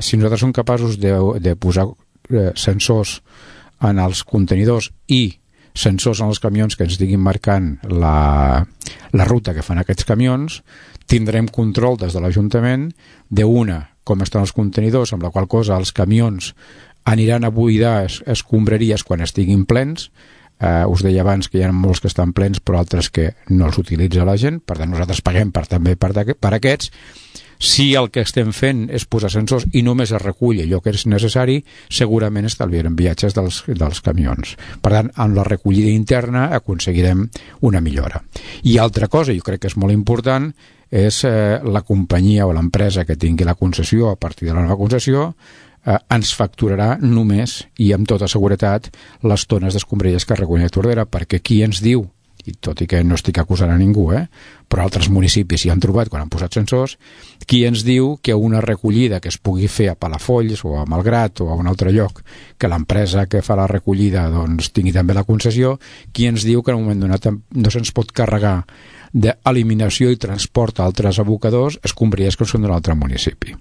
si nosaltres som capaços de posar sensors en els contenidors i sensors en els camions que ens estiguin marcant la ruta que fan aquests camions, tindrem control des de l'Ajuntament com estan els contenidors, amb la qual cosa els camions aniran a buidar escombraries quan estiguin plens. Us deia abans que hi ha molts que estan plens però altres que no els utilitza la gent, per tant nosaltres paguem també per aquests. Si el que estem fent és posar sensors i només es recull allò que és necessari, segurament estalviarem viatges dels camions. Per tant, amb la recollida interna aconseguirem una millora. I altra cosa, jo crec que és molt important, és la companyia o l'empresa que tingui la concessió a partir de la nova concessió ens facturarà només i amb tota seguretat les tones d'escombraries que recull a Tordera, perquè qui ens diu, i tot i que no estic acusant a ningú, però altres municipis hi han trobat quan han posat sensors, qui ens diu que una recollida que es pugui fer a Palafolls o a Malgrat o a un altre lloc, que l'empresa que fa la recollida doncs tingui també la concessió, qui ens diu que en un moment donat no se'ns pot carregar d'eliminació i transport a altres abocadors escombraries que són d'un altre municipi.